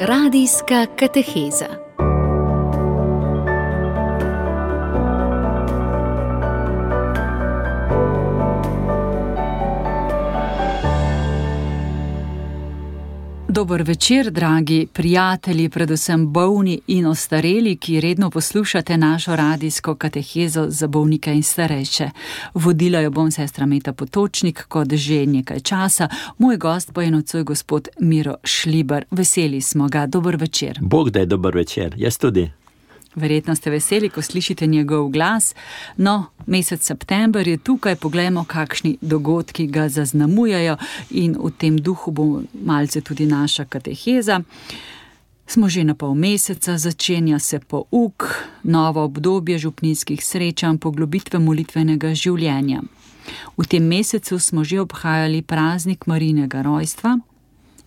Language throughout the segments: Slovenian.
Radijska kateheza. Dober večer, dragi prijatelji, predvsem bolni in ostareli, ki redno poslušate našo radijsko katehezo za bolnike in starejše. Vodila jo bom sestra Meta Potočnik, kot že nekaj časa. Moj gost pa je nocoj gospod Miro Šlibar. Veseli smo ga. Dober večer. Bog da je dober večer. Jaz tudi. Verjetno ste veseli, ko slišite njegov glas. No, mesec september je tukaj, poglejmo, kakšni dogodki ga zaznamujejo in v tem duhu bo malce tudi naša kateheza. Smo že na pol meseca, začenja se pouk, novo obdobje župnijskih srečanj, poglobitve molitvenega življenja. V tem mesecu smo že obhajali praznik Marijinega rojstva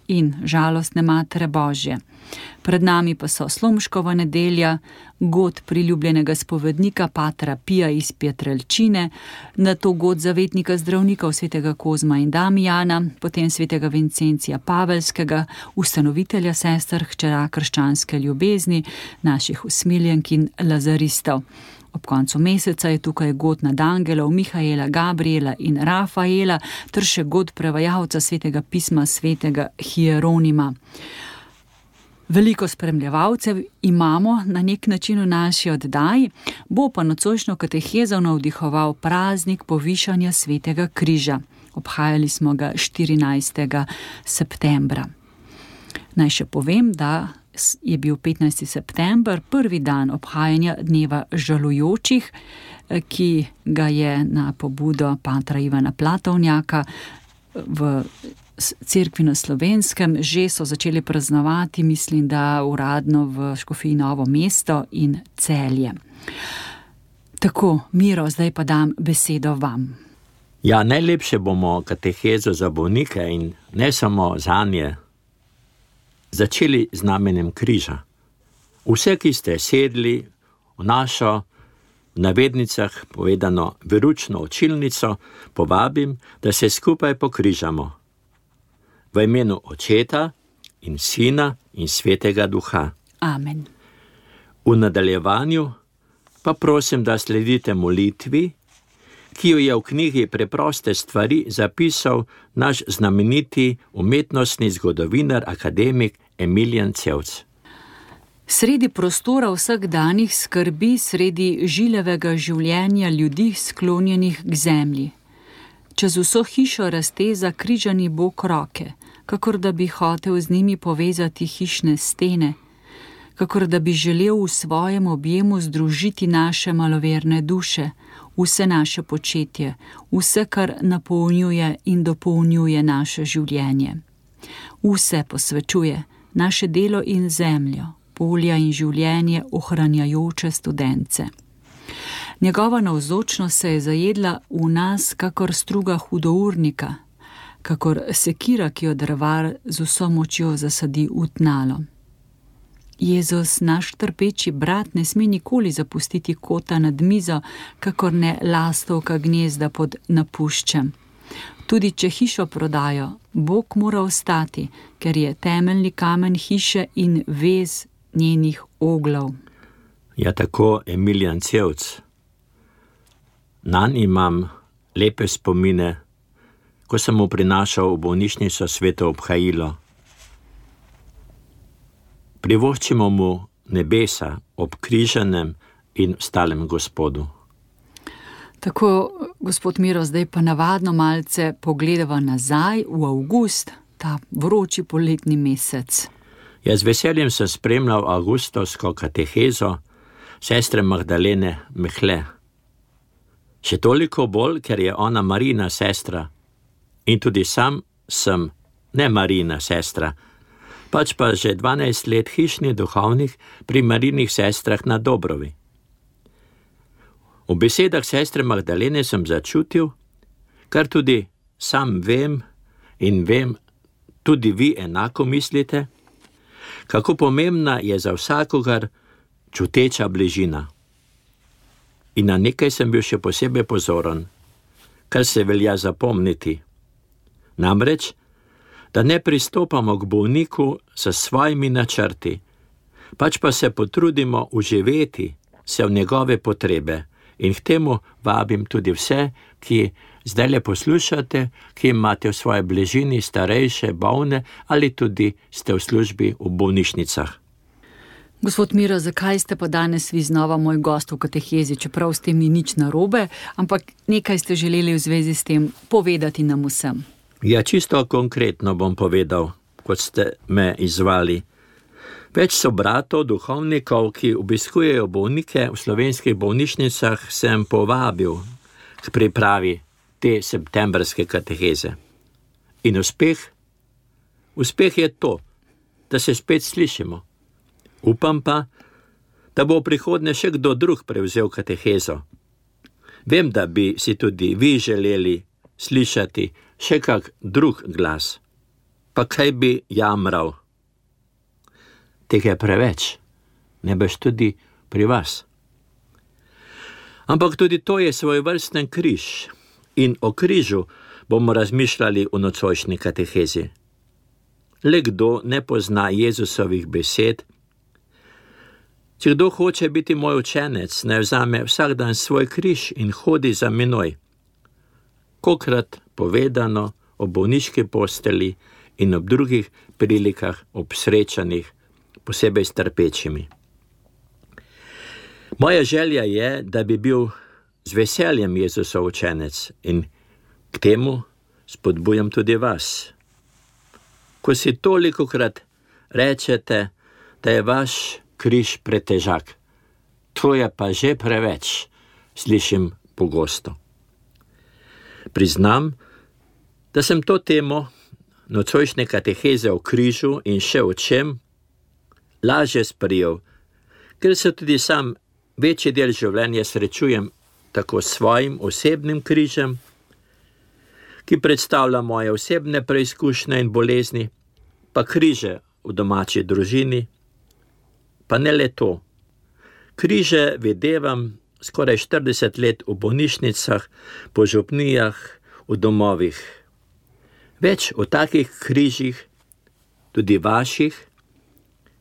in žalostne Matere Božje. Pred nami pa so Slomškova nedelja, god priljubljenega spovednika patra Pija iz Pietrelčine, nato god zavetnika zdravnikov svetega Kozma in Damijana, potem svetega Vincencija Pavelskega, ustanovitelja sester hčera krščanske ljubezni, naših usmiljenk in lazaristov. Ob koncu meseca je tukaj god nadangelov Mihaela, Gabriela in Rafaela, ter še god prevajalca svetega pisma svetega Hieronima. Veliko spremljevalcev imamo na nek način v naši oddaji, bo pa nocojšnjo katehezo navdihoval praznik povišanja svetega križa. Obhajali smo ga 14. septembra. Naj še povem, da je bil 15. september prvi dan obhajanja dneva žalujočih, ki ga je na pobudo patra Ivana Platovnjaka v cerkvi na Slovenskem že so začeli praznovati, mislim, da uradno v Škofiji Novo mesto in Celje. Tako, Miro, zdaj pa dam besedo vam. Ja, najlepše bomo katehezo za bolnike in ne samo zanje začeli z namenjem križa. Vse, ki ste sedli v našo, v navednicah povedano, veručno učilnico, povabim, da se skupaj pokrižamo. V imenu Očeta in Sina in Svetega Duha. Amen. V nadaljevanju pa prosim, da sledite molitvi, ki jo je v knjigi Preproste stvari zapisal naš znameniti umetnostni zgodovinar, akademik Emilijan Cevc. Sredi prostora vsakdanjih skrbi, sredi žilevega življenja ljudi sklonjenih k zemlji. Čez vso hišo razteza križani Bog roke, kakor da bi hotel z njimi povezati hišne stene, kakor da bi želel v svojem objemu združiti naše maloverne duše, vse naše početje, vse, kar napolnjuje in dopolnjuje naše življenje. Vse posvečuje, naše delo in zemljo, polja in življenje ohranjajoče studence. Njegova navzočnost se je zajedla v nas kakor struga hudournika, kakor sekira, ki jo drvar z vso močjo zasadi v tnalo. Jezus, naš trpeči brat, ne sme nikoli zapustiti kota nad mizo, kakor ne lastovka gnezda pod napuščem. Tudi če hišo prodajo, Bog mora ostati, ker je temeljni kamen hiše in vez njenih oglov. Ja, tako Emilijan Cevc. Nanj imam lepe spomine, ko sem mu prinašal v bolnišnico sveto obhajilo. Privoščimo mu nebesa ob križanem in stalem Gospodu. Tako, gospod Miro, zdaj pa navadno malce pogledava nazaj v avgust, ta vroči poletni mesec. Jaz z veseljem sem spremljal avgustovsko katehezo sestre Magdalene Mehle. Še toliko bolj, ker je ona Marijina sestra in tudi sam sem ne Marijina sestra, pač pa že 12 let hišni duhovnik pri Marijinih sestrah na Dobrovi. V besedah sestre Magdalene sem začutil, kar tudi sam vem in vem, tudi vi enako mislite, kako pomembna je za vsakogar čuteča bližina. In na nekaj sem bil še posebej pozoren, kar se velja zapomniti. Namreč, da ne pristopamo k bolniku s svojimi načrti, pač pa se potrudimo uživeti se v njegove potrebe. In k temu vabim tudi vse, ki zdaj le poslušate, ki imate v svoji bližini starejše, bolne ali tudi ste v službi v bolnišnicah. Gospod Miro, zakaj ste pa danes vi znova moj gost v katehezi, čeprav s tem ni nič narobe, ampak nekaj ste želeli v zvezi s tem povedati nam vsem? Ja, čisto konkretno bom povedal, kot ste me izvali. Več sobratov, duhovnikov, ki obiskujejo bolnike v slovenskih bolnišnicah, sem povabil k pripravi te septembrske kateheze. In uspeh je to, da se spet slišimo. Upam pa, da bo v prihodnje še kdo drug prevzel katehezo. Vem, da bi si tudi vi želeli slišati še kak drug glas. Pa kaj bi jamral? Tega je preveč, ne boš tudi pri vas. Ampak tudi to je svojevrsten križ in o križu bomo razmišljali v nocojšnji katehezi. Le kdo ne pozna Jezusovih besed? Če kdo hoče biti moj učenec, naj vzame vsak dan svoj križ in hodi za menoj. Kokrat povedano o bolniški posteli in ob drugih prilikah, ob srečanjih, posebej s trpečimi. Moja želja je, da bi bil z veseljem Jezusov učenec in k temu spodbujam tudi vas. Ko si tolikokrat rečete, da je vaš križ pretežak, to je pa že preveč, slišim pogosto. Priznam, da sem to temo nocojšnje kateheze o križu in še o čem lažje sprejel, ker se tudi sam večji del življenja srečujem tako s svojim osebnim križem, ki predstavlja moje osebne preizkušnje in bolezni, pa križe v domači družini, pa ne le to. Križe videvam skoraj 40 let v bolnišnicah, po župnijah, v domovih. Več o takih križih, tudi vaših,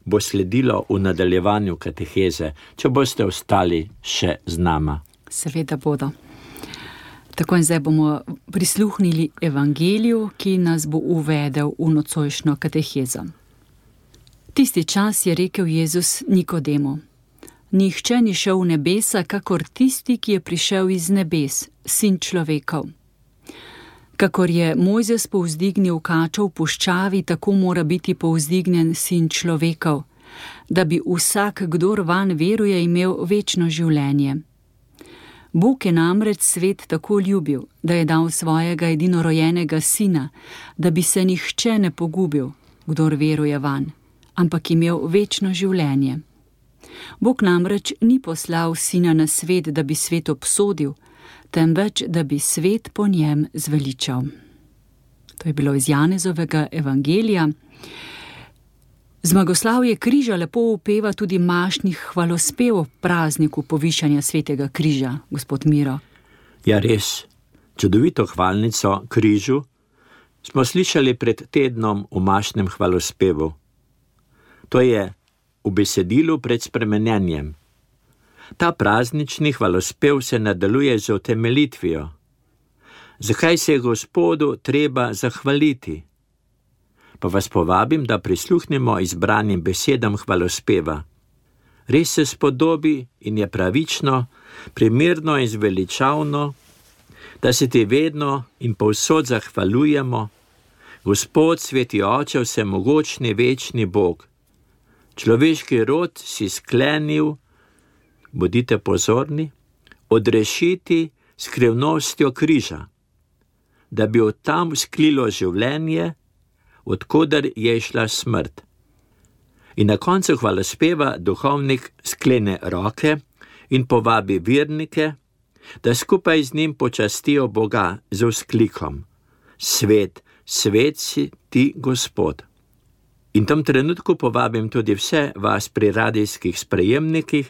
bo sledilo v nadaljevanju kateheze, če boste ostali še z nama. Seveda bodo. Tako in zdaj bomo prisluhnili evangeliju, ki nas bo uvedel v nocojšnjo katehezo. Tisti čas je rekel Jezus Nikodemu: Nihče ni šel v nebesa, kakor tisti, ki je prišel iz nebes, sin človekov. Kakor je Mojzes povzdignil kačo v puščavi, tako mora biti povzdignjen sin človekov, da bi vsak, kdor vanj veruje, imel večno življenje. Bog je namreč svet tako ljubil, da je dal svojega edinorojenega sina, da bi se nihče ne pogubil, kdor veruje vanj, ampak imel večno življenje. Bog namreč ni poslal sina na svet, da bi svet obsodil, temveč da bi svet po njem zveličal. To je bilo iz Janezovega evangelija. Zmagoslavje križa lepo upeva tudi mašnih hvalospev ob prazniku povišanja svetega križa, gospod Miro. Ja, res, čudovito hvalnico križu smo slišali pred tednom v mašnem hvalospevu. To je v besedilu pred spremenjenjem. Ta praznični hvalospev se nadaljuje z utemeljitvijo. Zakaj se je Gospodu treba zahvaliti? Pa vas povabim, da prisluhnemo izbranim besedam hvalospeva. Res se spodobi in je pravično, primerno in zveličavno, da se ti vedno in povsod zahvaljujemo, Gospod, sveti Oče, vsemogočni, večni Bog. Človeški rod si sklenil, bodite pozorni, odrešiti skrivnostjo križa, da bi od tam vzklilo življenje, odkudar je šla smrt. In na koncu hvalospeva duhovnik sklene roke in povabi vernike, da skupaj z njim počastijo Boga z vzklikom: Svet, svet si ti, Gospod. In v tem trenutku povabim tudi vse vas pri radijskih sprejemnikih,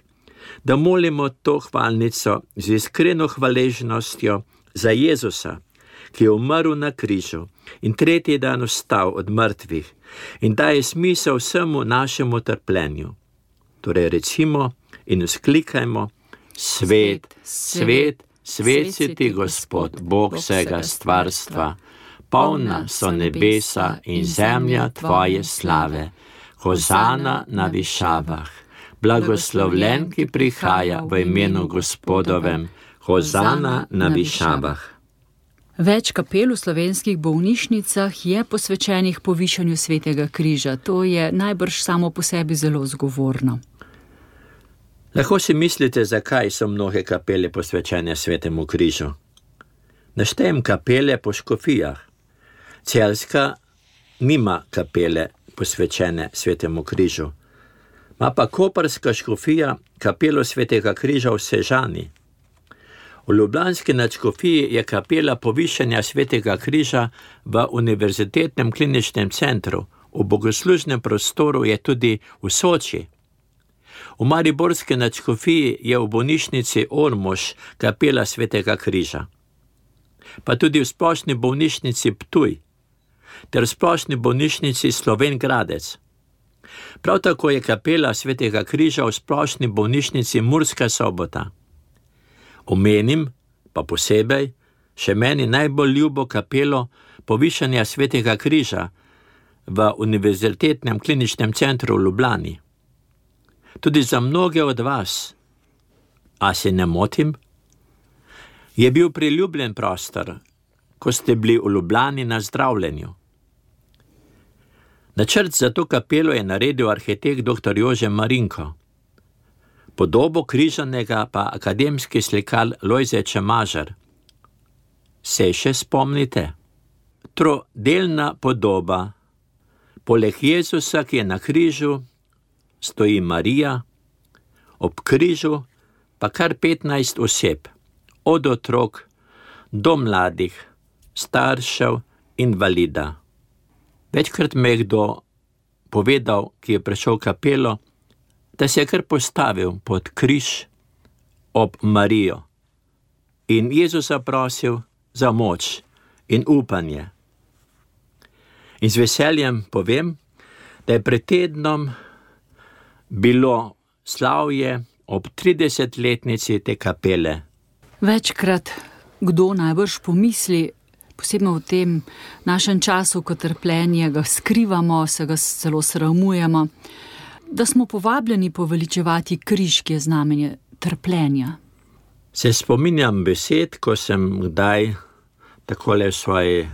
da molimo to hvalnico z iskreno hvaležnostjo za Jezusa, ki je umrl na križu in tretji dan vstal od mrtvih in daje smisel vsemu našemu trpljenju. Torej recimo in vzklikajmo: Svet, svet, svet si ti, Gospod, Bog vsega stvarstva, polna so nebesa in zemlja tvoje slave. Hozana na višavah, blagoslovljen, ki prihaja v imenu Gospodovem, hozana na višavah. Več kapel v slovenskih bolnišnicah je posvečenih povišanju Svetega križa. To je najbrž samo po sebi zelo zgovorno. Lahko si mislite, zakaj so mnoge kapele posvečene Svetemu križu. Naštejem kapele po škofijah. Celjska nima kapele posvečene Svetemu križu. Ma pa koprska škofija kapelo Svetega križa v Sežani. V ljubljanski nadškofiji je kapela povišanja Svetega križa v Univerzitetnem kliničnem centru, v bogoslužnem prostoru je tudi v Soči. V mariborski nadškofiji je v bolnišnici Ormož kapela Svetega križa. Pa tudi v splošni bolnišnici Ptuj ter v splošni bolnišnici Slovenj Gradec. Prav tako je kapela Svetega križa v splošni bolnišnici Murska Sobota. Omenim pa posebej še meni najbolj ljubo kapelo povišanja Svetega križa v Univerzitetnem kliničnem centru v Ljubljani. Tudi za mnoge od vas, a se ne motim, je bil priljubljen prostor, ko ste bili v Ljubljani na zdravljenju. Načrt za to kapelo je naredil arhitekt dr. Jože Marinko. Podobo križanega pa akademski slikar Lojze Čemažar. Se še spomnite? Trodelna podoba. Poleg Jezusa, ki je na križu, stoji Marija, ob križu pa kar 15 oseb, od otrok do mladih, staršev, invalida. Večkrat me je kdo povedal, ki je prišel v kapelo, da se je kar postavil pod križ ob Marijo in Jezusa prosil za moč in upanje. In z veseljem povem, da je pred tednom bilo slavje ob 30-letnici te kapele. Večkrat kdo najbrž pomisli, posebno v tem našem času, ko trpljenje ga skrivamo, se ga celo sramujemo, da smo povabljeni poveličevati križ, ki je znamenje trpljenja. Se spominjam besed, ko sem kdaj takole v svoji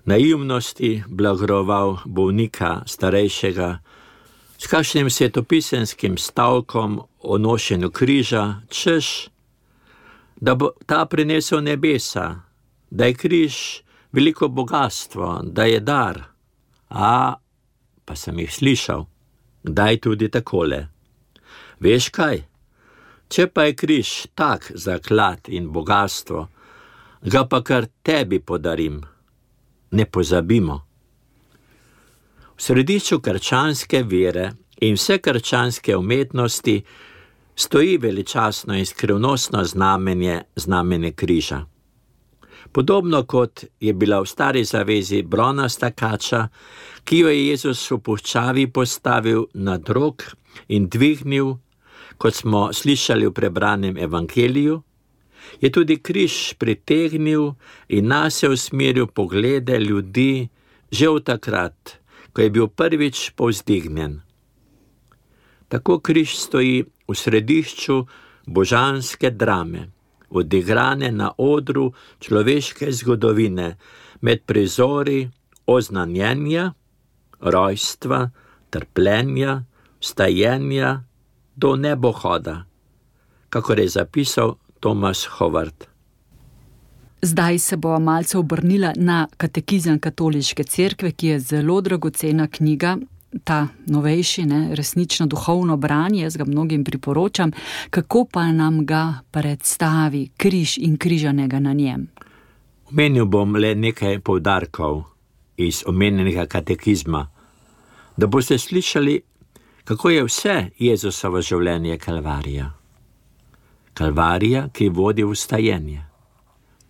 naivnosti blagoroval bolnika starejšega s kakšnim svetopisenskim stavkom o nošenju križa, češ, da bo ta prinesel nebesa, da je križ veliko bogatstvo, da je dar. Pa sem jih slišal, kdaj tudi takole. Veš kaj? Če pa je križ tak zaklad in bogatstvo, ga pa kar tebi podarim. Ne pozabimo. V središču krščanske vere in vse krščanske umetnosti stoji veličastno in skrivnostno znamenje križa. Podobno kot je bila v stari zavezi bronasta kača, ki jo je Jezus v puščavi postavil nad rog in dvignil, kot smo slišali v prebranem evangeliju, je tudi križ pritegnil in nase usmeril poglede ljudi že v takrat, ko je bil prvič povzdignjen. Tako križ stoji v središču božanske drame, odigrane na odru človeške zgodovine, med prizori oznanjenja, rojstva, trpljenja, vstajenja do nebohoda, kakor je zapisal Thomas Howard. Zdaj se bo malce obrnila na Katekizem katoliške cerkve, ki je zelo dragocena knjiga, ta novejši, resnično duhovno branje, jaz ga mnogim priporočam. Kako pa nam ga predstavi križ in križanega na njem? Omenil bom le nekaj poudarkov iz omenjenega katekizma, da boste slišali, kako je vse Jezusovo življenje kalvarija. Kalvarija, ki vodi v vstajenje,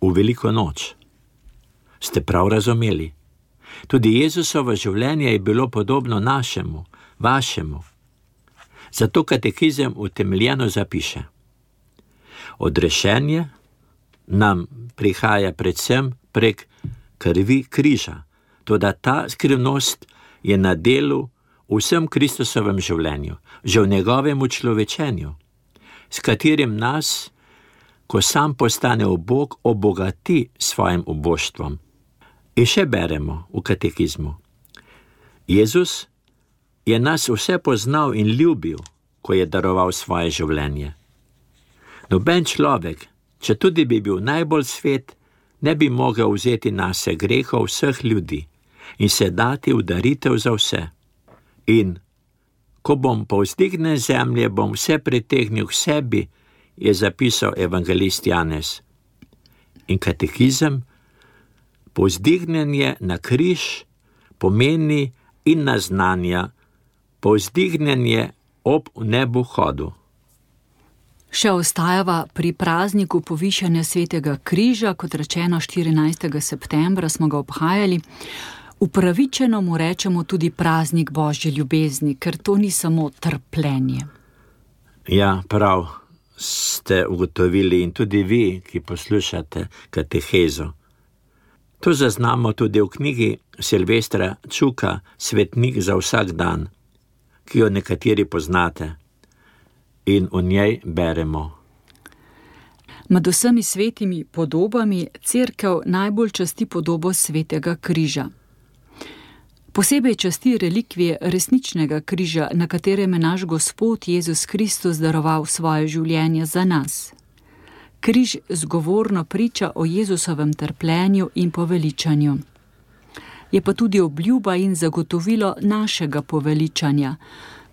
v veliko noč. Ste prav razumeli? Tudi Jezusovo življenje je bilo podobno našemu, vašemu. Zato katekizem utemeljeno zapiše: odrešenje nam prihaja predvsem prek krvi križa, toda ta skrivnost je na delu v vsem Kristusovem življenju, že v njegovem učlovečenju, s katerim nas, ko sam postane ubog, obogati svojim uboštvom. In še beremo v katekizmu: Jezus je nas vse poznal in ljubil, ko je daroval svoje življenje. Noben človek, če tudi bi bil najbolj svet, ne bi mogel vzeti nase grehov vseh ljudi in se dati v daritev za vse. In ko bom povzdignjen zemlje, bom vse pritegnil k sebi, je zapisal evangelist Janez. In katekizem: povzdignjenje na križ pomeni in naznanja povzdignjenje ob nebohodu. Še ostajava pri prazniku povišanja svetega križa, kot rečeno 14. septembra smo ga obhajali. Upravičeno mu rečemo tudi praznik Božje ljubezni, ker to ni samo trpljenje. Ja, prav ste ugotovili in tudi vi, ki poslušate katehezo. To zaznamo tudi v knjigi Silvestra Čuka Svetnik za vsak dan, ki jo nekateri poznate. In v njej beremo: med vsemi svetimi podobami Cerkev najbolj časti podobo svetega križa. Posebej časti relikvije resničnega križa, na katerem je naš Gospod Jezus Kristus daroval svoje življenje za nas. Križ zgovorno priča o Jezusovem trpljenju in poveličanju. Je pa tudi obljuba in zagotovilo našega poveličanja,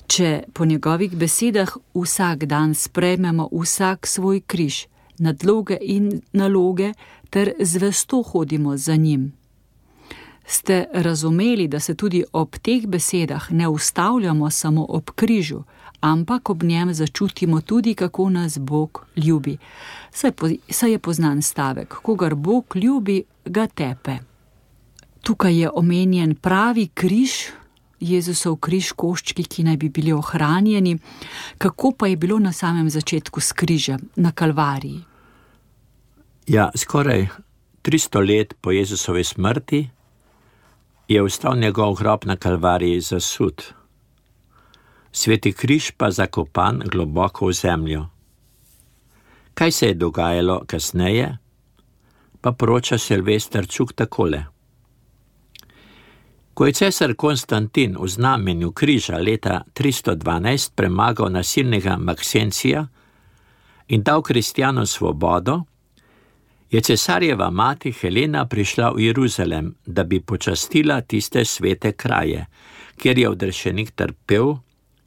če po njegovih besedah vsak dan sprejmemo vsak svoj križ, nadloge in naloge ter zvesto hodimo za njim. Ste razumeli, da se tudi ob teh besedah ne ustavljamo samo ob križu, ampak ob njem začutimo tudi, kako nas Bog ljubi. Saj je poznan stavek: kogar Bog ljubi, ga tepe. Tukaj je omenjen pravi križ, Jezusov križ, koščki, ki naj bi bili ohranjeni. Kako pa je bilo na samem začetku s križem, na Kalvariji? Ja, skoraj 300 let po Jezusovi smrti je ostal njegov grob na Kalvariji zasut. Sveti križ pa zakopan globoko v zemljo. Kaj se je dogajalo kasneje, pa poroča Silvester Čuk takole. Ko je cesar Konstantin v znamenju križa leta 312 premagal nasilnega Maksencija in dal kristjanom svobodo, je cesarjeva mati Helena prišla v Jeruzalem, da bi počastila tiste svete kraje, kjer je odrešenik trpel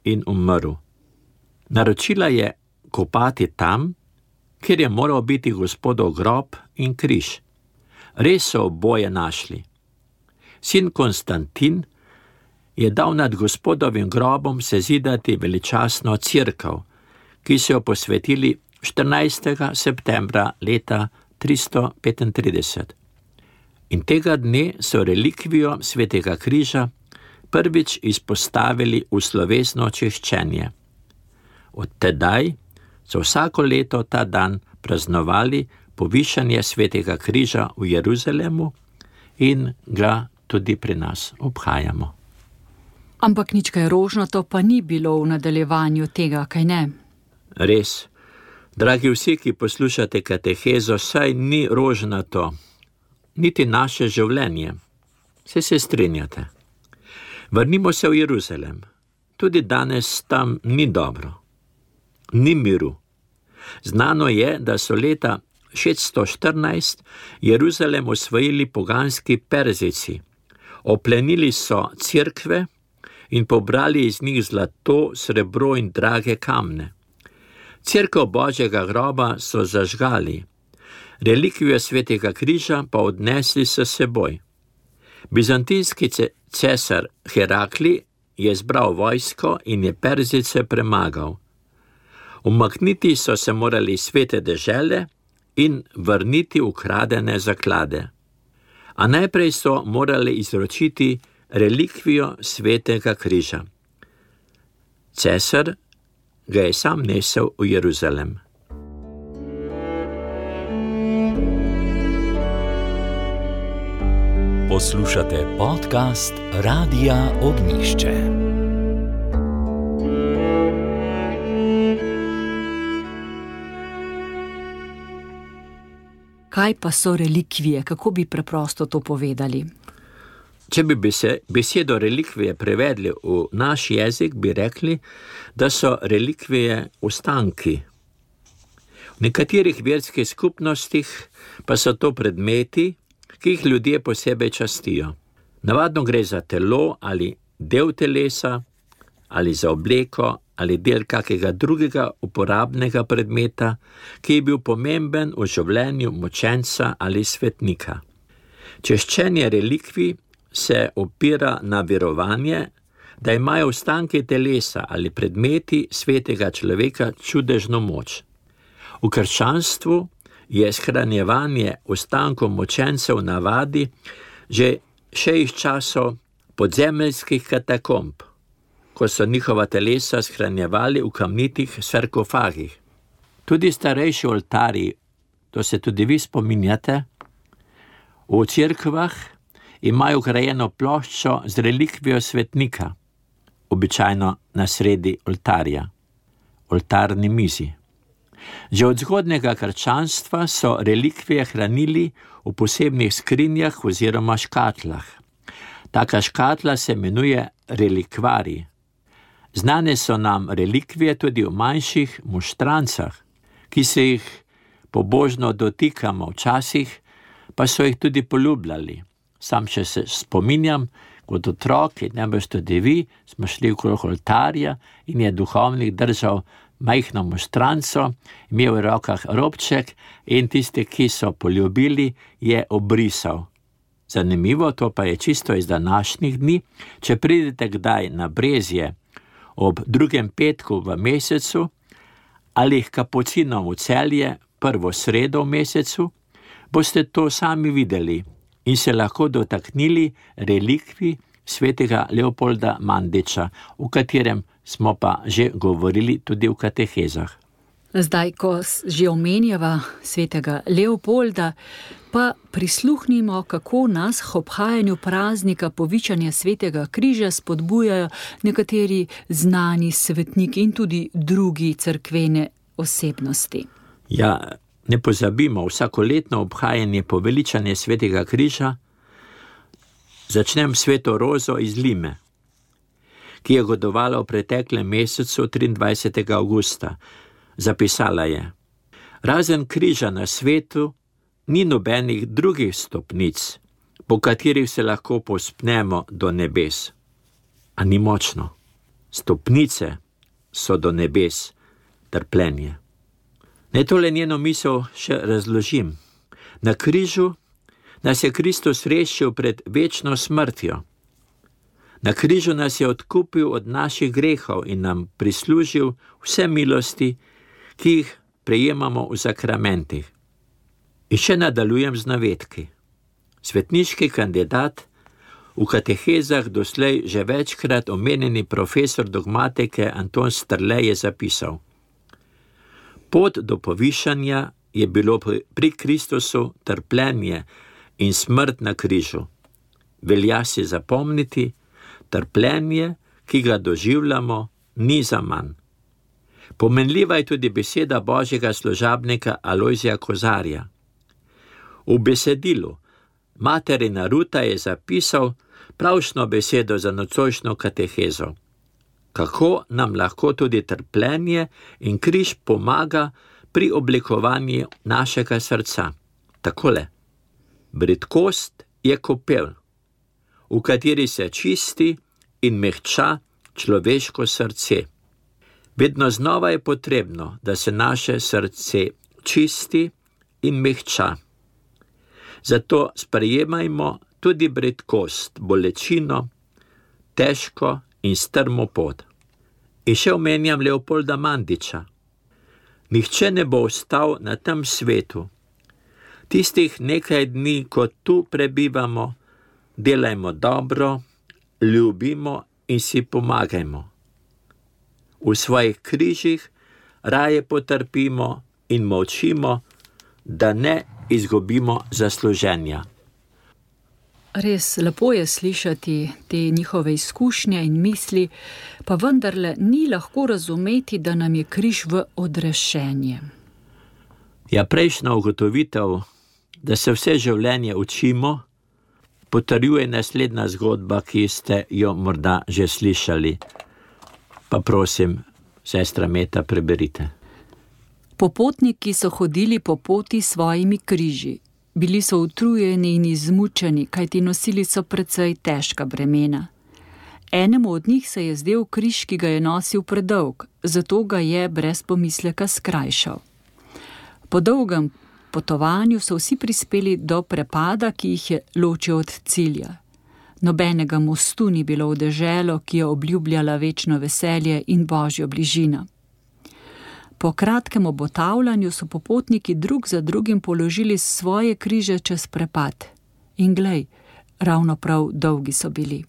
in umrl. Naročila je kopati tam, kjer je moral biti Gospodov grob in križ. Res so oboje našli. Sin Konstantin je dal nad Gospodovim grobom sezidati veličastno cerkev, ki so jo posvetili 14. septembra leta 335. In tega dne so relikvijo svetega križa prvič izpostavili v slovesno češčenje. Od tedaj so vsako leto ta dan praznovali povišanje svetega križa v Jeruzalemu in ga tudi pri nas obhajamo. Ampak nič kaj rožnato pa ni bilo v nadaljevanju tega, kaj ne? Res. Dragi vsi, ki poslušate katehezo, saj ni rožnato, niti naše življenje. Se strinjate. Vrnimo se v Jeruzalem. Tudi danes tam ni dobro. Ni miru. Znano je, da so leta 614 Jeruzalem osvojili poganski Perzijci. Oplenili so cerkve in pobrali iz njih zlato, srebro in drage kamne. Cerkev Božjega groba so zažgali, relikvijo svetega križa pa odnesli s seboj. Bizantinski cesar Herakli je zbral vojsko in je Perzijce premagal. Umakniti so se morali svete dežele in vrniti ukradene zaklade. A najprej so morali izročiti relikvijo svetega križa. Cesar ga je sam nesel v Jeruzalem. Poslušate podcast Radia Ognjišče. Kaj pa so relikvije? Kako bi preprosto to povedali? Če bi besedo relikvije prevedli v naš jezik, bi rekli, da so relikvije ostanki. V nekaterih verskih skupnostih pa so to predmeti, ki jih ljudje posebej častijo. Navadno gre za telo ali del telesa, ali za obleko, ali del kakega drugega uporabnega predmeta, ki je bil pomemben v življenju mučenca ali svetnika. Češčenje relikvij se opira na verovanje, da imajo ostanki telesa ali predmeti svetega človeka čudežno moč. V krščanstvu je shranjevanje ostankov mučencev navadi že še iz časov podzemeljskih katakomb, ko so njihova telesa shranjevali v kamnitih sarkofagih. Tudi starejši oltarji, to se tudi vi spominjate, v cerkvah imajo grajeno ploščo z relikvijo svetnika, običajno na sredi oltarja, oltarni mizi. Že od zgodnjega krščanstva so relikvije hranili v posebnih skrinjah oziroma škatlah. Taka škatla se imenuje relikvarij. Znane so nam relikvije tudi v manjših moštrancah, ki se jih pobožno dotikamo včasih, pa so jih tudi poljubljali. Sam še se spominjam, kot otrok, in najbrž tudi vi, smo šli okrog oltarja in je duhovnik držal majhno moštranco, imel v rokah robček in tisti, ki so poljubili, je obrisal. Zanimivo, to pa je čisto iz današnjih dni. Če pridete kdaj na Brezje ob 2. petku v mesecu ali k kapucinom v Celje prvo sredo v mesecu, boste to sami videli in se lahko dotaknili relikvij svetega Leopolda Mandiča, o katerem smo pa že govorili tudi v katehezah. Zdaj, ko že omenjava svetega Leopolda, pa prisluhnimo, kako nas k obhajanju praznika povičanja svetega križa spodbujajo nekateri znani svetniki in tudi drugi cerkvene osebnosti. Ja, ne pozabimo, vsakoletno obhajanje poveličanja svetega križa začnem sveto Rozo iz Lime, ki je godovala v preteklem mesecu 23. avgusta. Zapisala je: razen križa na svetu ni nobenih drugih stopnic, po katerih se lahko povzpnemo do nebes. A ni močno? Stopnice so do nebes, trpljenje. Naj tole njeno misel še razložim. Na križu nas je Kristus rešil pred večno smrtjo. Na križu nas je odkupil od naših grehov in nam prislužil vse milosti, ki jih prejemamo v sakramentih. In še nadaljujem z navedki. Svetniški kandidat, v katehezah doslej že večkrat omenjeni profesor dogmatike Anton Strle je zapisal: pot do povišanja je bilo pri Kristusu trpljenje in smrt na križu. Velja si zapomniti, trpljenje, ki ga doživljamo, ni zaman. Pomenljiva je tudi beseda božjega služabnika Alojzija Kozarja. V besedilu materina Ruta je zapisal pravšno besedo za nocojšnjo katehezo. Kako nam lahko tudi trpljenje in križ pomaga pri oblikovanju našega srca. Takole: bridkost je kopel, v kateri se čisti in mehča človeško srce. Vedno znova je potrebno, da se naše srce čisti in mehča. Zato sprejemajmo tudi bridkost, bolečino, težko in strmo pot. In še omenjam Leopolda Mandiča. Nihče ne bo ostal na tem svetu, Tistih nekaj dni, ko tu prebivamo, delajmo dobro, ljubimo in si pomagajmo. V svojih križih raje potrpimo in molčimo, da ne izgubimo zasluženja. Res lepo je slišati te njihove izkušnje in misli, pa vendarle ni lahko razumeti, da nam je križ v odrešenje. Ja, prejšnja ugotovitev, da se vse življenje učimo, potrjuje naslednja zgodba, ki ste jo morda že slišali. Pa prosim, sestra Meta, preberite. Popotniki so hodili po poti s svojimi križi. Bili so utrujeni in izmučeni, kajti nosili so precej težka bremena. Enemu od njih se je zdel križ, ki ga je nosil predolg, zato ga je brez pomisleka skrajšal. Po dolgem potovanju so vsi prispeli do prepada, ki jih je ločil od cilja. Nobenega mostu ni bilo v deželo, ki je obljubljala večno veselje in božjo bližino. Po kratkem obotavljanju so popotniki drug za drugim položili svoje križe čez prepad. In glej, ravno prav dolgi so bili.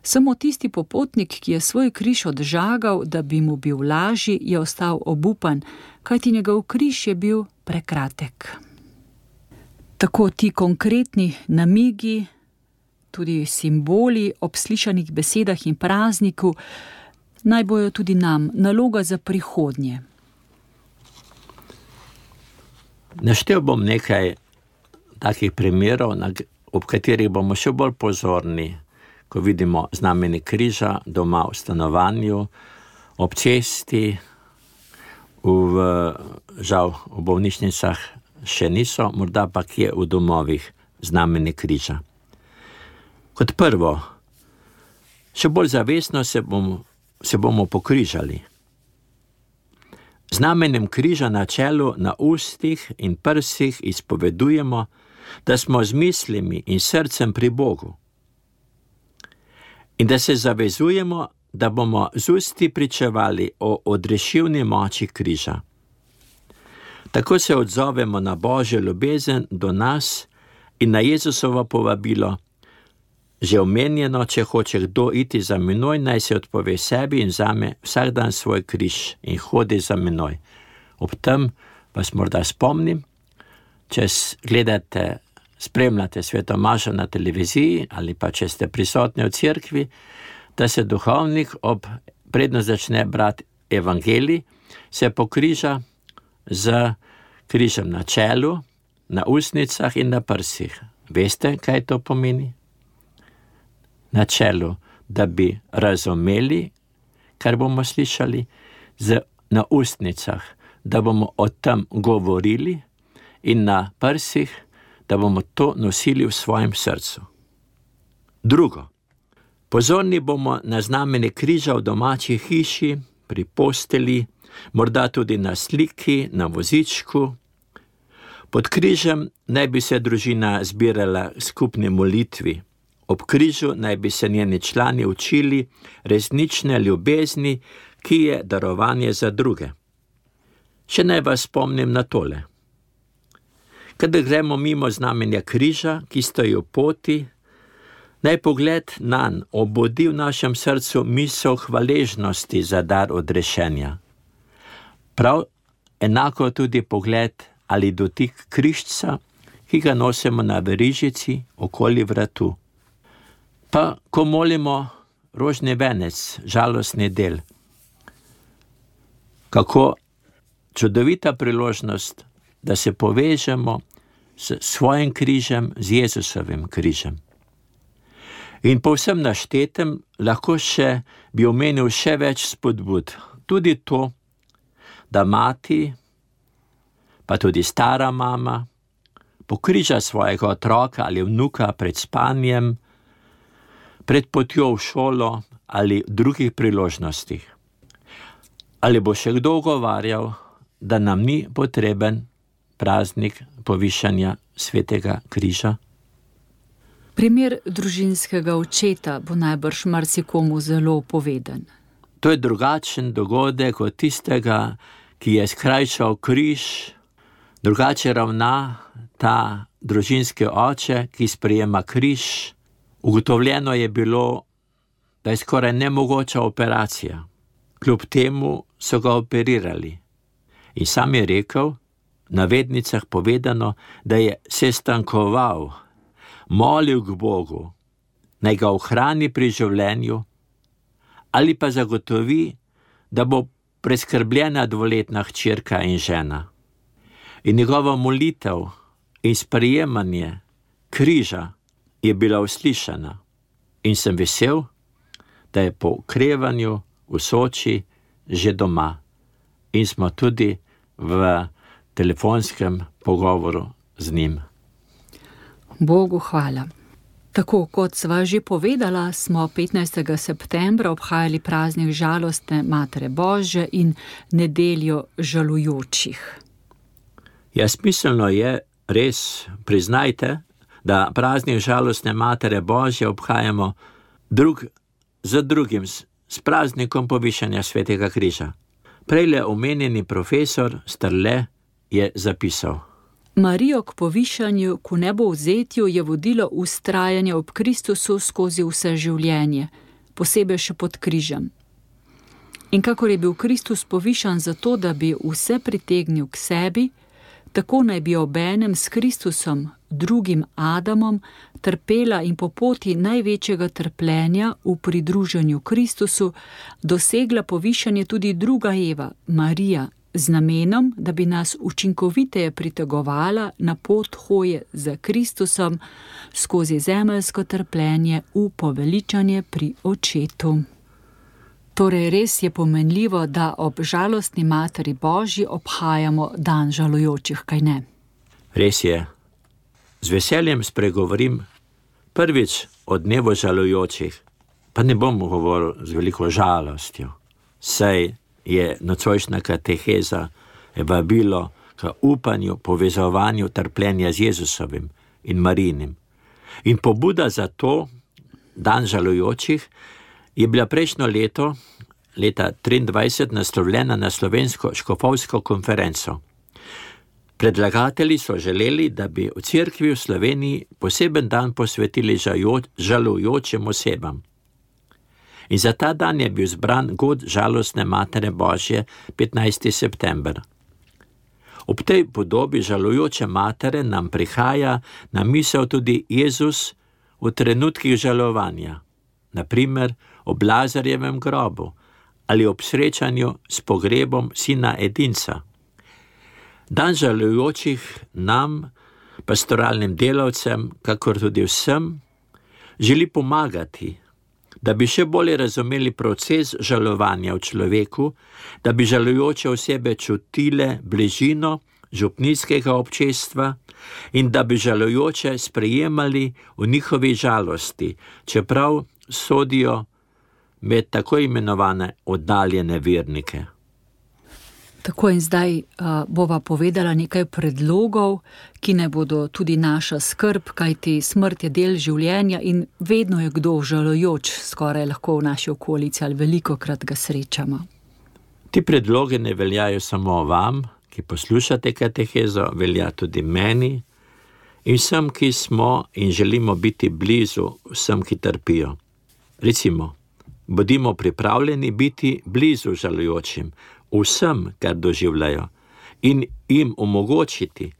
Samo tisti popotnik, ki je svoj križ odžagal, da bi mu bil lažji, je ostal obupan, kajti njegov križ je bil prekratek. Tako ti konkretni namigi, tudi simboli ob slišanih besedah in prazniku, naj bojo tudi nam naloga za prihodnje. Naštel bom nekaj takih primerov, ob katerih bomo še bolj pozorni, ko vidimo znamenje križa doma v stanovanju, ob cesti, žal v bolnišnicah še niso, morda pa kje v domovih znamenje križa. Kot prvo, še bolj zavestno se bomo pokrižali. Znamenjem križa na čelu, na ustih in prsih izpovedujemo, da smo z mislimi in srcem pri Bogu. In da se zavezujemo, da bomo z usti pričevali o odrešilni moči križa. Tako se odzovemo na Božjo ljubezen do nas in na Jezusovo povabilo, že omenjeno, če hoče kdo iti za menoj, naj se odpove sebi in vzame vsak dan svoj križ in hodi za menoj. Ob tem vas morda spomnim, če gledate, spremljate Sveto mašo na televiziji ali pa če ste prisotni v cerkvi, da se duhovnik predno začne brati evangelij, se pokriža z križem na čelu, na ustnicah in na prsih. Veste, kaj to pomeni? Na čelu, da bi razumeli, kar bomo slišali, na ustnicah, da bomo o tem govorili, in na prsih, da bomo to nosili v svojem srcu. Drugo, pozorni bomo na znamenje križa v domači hiši, pri posteli, morda tudi na sliki, na vozičku. Pod križem naj bi se družina zbirala skupni molitvi. Ob križu naj bi se njeni člani učili resnične ljubezni, ki je darovanje za druge. Še naj vas spomnim na tole. Kadar gremo mimo znamenja križa, ki stoji v poti, naj pogled nanj obudi v našem srcu misel hvaležnosti za dar odrešenja. Prav enako tudi pogled ali dotik križca, ki ga nosimo na verižici okoli vratu. Pa ko molimo rožni venec, žalostni del, kako čudovita priložnost, da se povežemo s svojim križem, z Jezusovim križem. In po vsem naštetem lahko bi omenil še več spodbud. Tudi to, da mati, pa tudi stara mama, pokriža svojega otroka ali vnuka pred spanjem, pred potjo v šolo ali v drugih priložnostih. Ali bo še kdo ugovarjal, da nam ni potreben praznik povišanja svetega križa? Primer družinskega očeta bo najbrž marsikomu zelo poveden. To je drugačen dogodek od tistega, ki je skrajšal križ, Drugače ravna ta družinski oče, ki sprejema križ. Ugotovljeno je bilo, da je skoraj nemogoča operacija. Kljub temu so ga operirali. In sam je rekel, v navednicah povedano, da je sestankoval, molil k Bogu, naj ga ohrani pri življenju ali pa zagotovi, da bo preskrbljena 2-letna hčerka in žena. In njegova molitev in sprejemanje križa je bila uslišana. In sem vesel, da je po okrevanju v Soči že doma. In smo tudi v telefonskem pogovoru z njim. Bogu hvala. Tako kot sva že povedala, smo 15. septembra obhajali praznik žalostne Matere Božje in nedeljo žalujočih. Ja, smiselno je, res priznajte, da praznik žalostne Matere Božje obhajamo drug za drugim s praznikom povišanja Svetega križa. Prejle omenjeni profesor Strle je zapisal: Marijo k povišanju, k nebovzetju je vodilo vztrajanje ob Kristusu skozi vse življenje, posebej še pod križem. In kakor je bil Kristus povišan zato, da bi vse pritegnil k sebi, tako naj bi obenem s Kristusom, drugim Adamom, trpela in po poti največjega trpljenja v pridruženju Kristusu dosegla povišanje tudi druga Eva, Marija, z namenom, da bi nas učinkoviteje pritegovala na pot hoje za Kristusom skozi zemeljsko trpljenje v poveličanje pri Očetu. Torej res je pomenljivo, da ob žalostni Materi Božji obhajamo dan žalujočih, kaj ne? Res je. Z veseljem spregovorim prvič o dnevu žalujočih, pa ne bom govoril z veliko žalostjo, saj je nocojšnja kateheza vabilo k upanju, povezovanju trpljenja z Jezusovim in Marijinim. In pobuda za to, dan žalujočih, je bila prejšnjo leto, leta 23, naslovljena na slovensko škofovsko konferenco. Predlagatelji so želeli, da bi v cerkvi v Sloveniji poseben dan posvetili žalujočim osebam. In za ta dan je bil zbran god žalostne Matere Božje 15. september. Ob tej podobi žalujoče matere nam prihaja na misel tudi Jezus v trenutkih žalovanja, na primer ob Lazarjevem grobu ali ob srečanju s pogrebom sina edinca. Dan žalujočih nam, pastoralnim delavcem, kakor tudi vsem, želi pomagati, da bi še bolje razumeli proces žalovanja v človeku, da bi žalujoče osebe čutile bližino župnijskega občestva in da bi žalujoče sprejemali v njihovi žalosti, čeprav sodijo med tako imenovane oddaljene vernike. Tako in zdaj bova povedala nekaj predlogov, ki ne bodo tudi naša skrb, kajti smrt je del življenja in vedno je kdo žalujoč, skoraj lahko v naši okolici ali velikokrat ga srečamo. Ti predloge ne veljajo samo vam, ki poslušate katehezo, velja tudi meni in vsem, ki smo in želimo biti blizu vsem, ki trpijo. Recimo, bodimo pripravljeni biti blizu žalujočim, vsem, kar doživljajo, in jim omogočiti,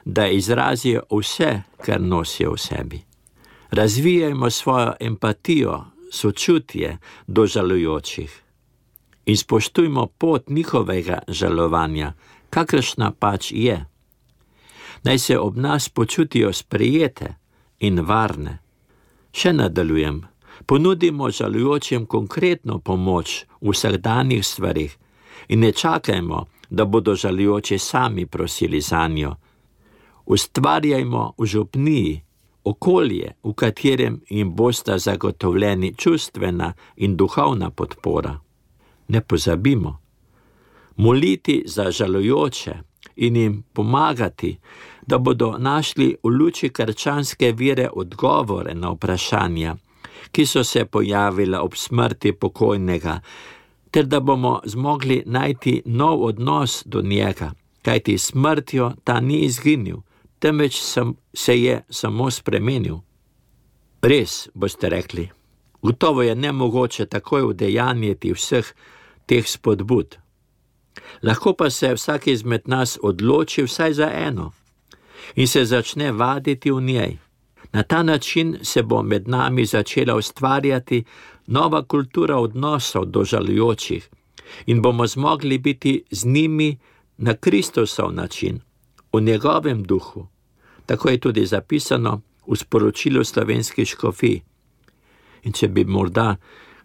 da izrazijo vse, kar nosijo v sebi. Razvijajmo svojo empatijo, sočutje do žalujočih in spoštujmo pot njihovega žalovanja, kakršna pač je. Naj se ob nas počutijo sprejete in varne. Še nadaljujem, ponudimo žalujočim konkretno pomoč v vsakdanjih stvarih in ne čakajmo, da bodo žalujoči sami prosili zanjo. Ustvarjajmo v župniji okolje, v katerem jim bosta zagotovljeni čustvena in duhovna podpora. Ne pozabimo, moliti za žalujoče in jim pomagati, da bodo našli v luči krščanske vere odgovore na vprašanja, ki so se pojavila ob smrti pokojnega, ter da bomo zmogli najti nov odnos do njega, kajti smrtjo ta ni izginil, temveč se je samo spremenil. Res, boste rekli, gotovo je nemogoče takoj udejanjiti vseh teh spodbud. Lahko pa se vsak izmed nas odloči vsaj za eno in se začne vaditi v njej. Na ta način se bo med nami začela ustvarjati nova kultura odnosov do žalujočih in bomo zmogli biti z njimi na Kristusov način, v njegovem duhu. Tako je tudi zapisano v sporočilu slovenskih škofij. In če bi morda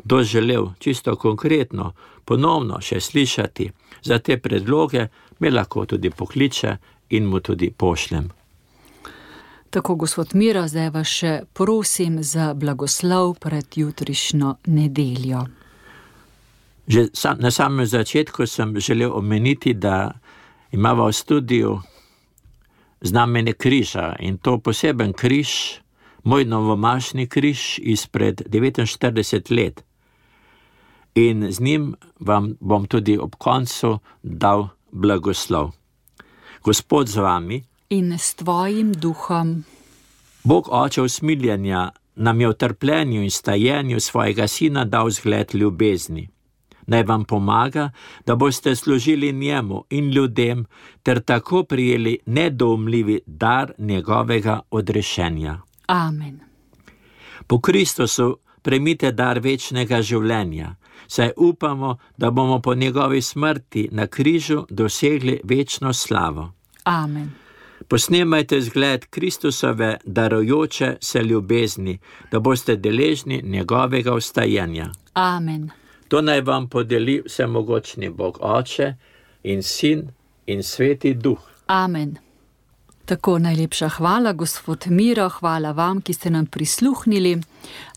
kdo želel čisto konkretno ponovno še slišati za te predloge, me lahko tudi pokliče in mu tudi pošljem. Tako, gospod Miro, zdaj vas še prosim za blagoslov pred jutrišnjo nedeljo. Že na samem začetku sem želel omeniti, da imava v studiu znamenje križa in to poseben križ, moj novomašni križ izpred 49 let. In z njim vam bom tudi ob koncu dal blagoslov. Gospod z vami in s tvojim duhom. Bog Oče usmiljenja nam je v trpljenju in stajenju svojega Sina dal zgled ljubezni. Naj vam pomaga, da boste služili njemu in ljudem ter tako prijeli nedoumljivi dar njegovega odrešenja. Amen. Po Kristusu prejmite dar večnega življenja, saj upamo, da bomo po njegovi smrti na križu dosegli večno slavo. Amen. Posnemajte zgled Kristusove darujoče se ljubezni, da boste deležni njegovega vstajenja. Amen. To naj vam podeli vsemogočni Bog Oče in Sin in Sveti Duh. Amen. Tako, najlepša hvala, gospod Miro, hvala vam, ki ste nam prisluhnili.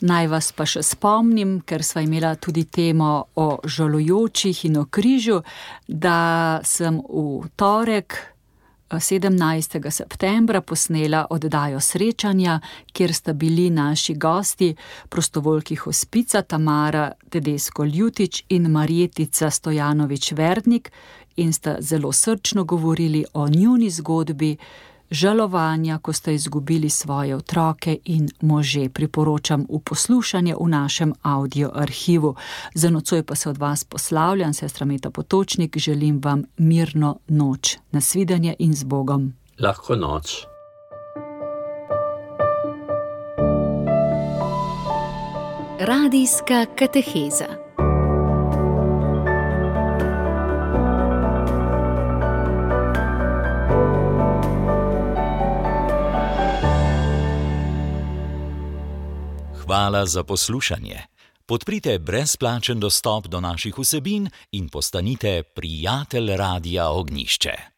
Naj vas pa še spomnim, ker sva imela tudi temo o žalujočih in o križu, da sem v torek 17. septembra posnela oddajo srečanja, kjer sta bili naši gosti prostovoljki hospica Tamara Tedesco-Ljutič in Marjetica Stojanovič-Verdnik in sta zelo srčno govorili o njuni zgodbi žalovanja, ko sta izgubili svoje otroke in može. Priporočam v poslušanje v našem audio arhivu. Za nocoj pa se od vas poslavljam, sestra Meta Potočnik, želim vam mirno noč. Nasvidenje in z Bogom. Lahko noč. Radijska kateheza. Hvala za poslušanje. Podprite brezplačen dostop do naših vsebin in postanite prijatelj Radia Ognjišče.